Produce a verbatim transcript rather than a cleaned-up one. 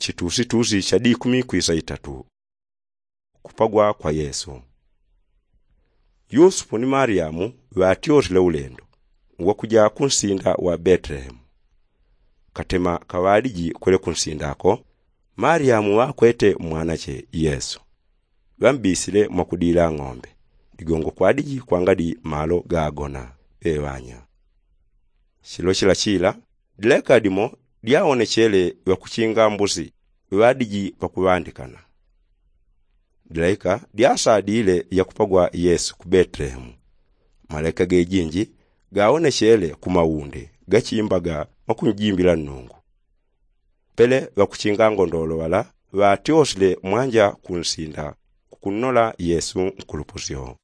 Chitusitusi cha dikumi kwisa itatu. Kupagwa kwa yesu. Yusupu ni malyamu ŵatyosile ulendo wa kuja kunsinda wa betelehemu. Katema kaŵaliji kwele kunsinda ako, malyamu ŵakwete mwanache yesu. Ŵambisile mwakudila ng'ombe ligongo kwadiji kwangadi malo gagona ŵeŵanya. Chilo chila chila dileka dimo dyawonechele ŵakuchinga mbusi ŵadiji ŵakuŵandikana. Dileka dyasadile yakupagwa yesu ku betelehemu. Malaika gejinji gawonechele ku mawunde gachimbaga mwakunjimbila nnungu. Pele ŵakuchinga ngondolo ŵala ŵatyosile mwanja kunsinda kukunnola yesu nkulupusyo.